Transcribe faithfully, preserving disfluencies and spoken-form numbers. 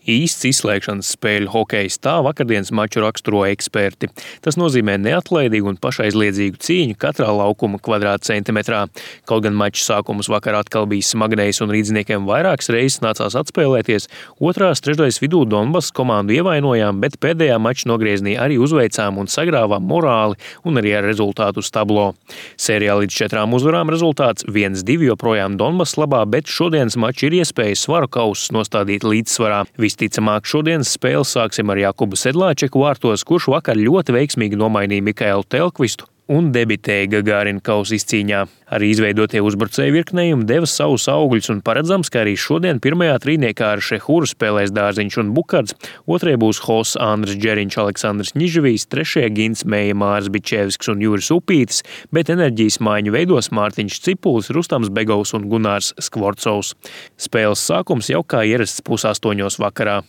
Īsts izslēgšanas spēļu hokejs, tā vakardienas maču raksturo eksperti. Tas nozīmē neatlaidīgu un pašaizliedzīgu cīņu katrā laukuma kvadrātcentimetrā. Kaut gan maču sākums vakar atkal bija smagnējs un rīdzniekiem vairākas reizes nācās atspēlēties, otrās trešdaļas vidū Donbass komandu ievainojām, bet pēdējā mača nogriezienī arī uzveicām un sagrāvām morāli un arī ar rezultātu uz tablo. Sērijā līdz četrām uzvarām rezultāts viens divi joprojām Donbass labā, bet šodienas maču ir iespēja svaru kausus nostādīt līdzsvarā. Visticamāk, šodienas spēli sāksim ar Jakubu Sedlāčeku vārtos, kurš vakar ļoti veiksmīgi nomainīja Mikaelu Telkvistu un debitēja Gagārina kausa izcīņā. Arī izveidotie uzbrucēju virknējumi deva savus augļus un paredzams, ka arī šodien pirmajā trīniekā ar Šehuru spēlēs Dārziņš un Bukards, otrajā būs Hos Andris Džeriņš, Aleksandrs Ņižavijs, trešajā Gins Meja, Māris Bičevskis un Juris Upītis, bet enerģijas maiņu veidos Mārtiņš Cipulis, Rustams Begovs un Gunārs Skvorcovs. Spēles sākums jau kā ierasts pusaustoņos vakarā.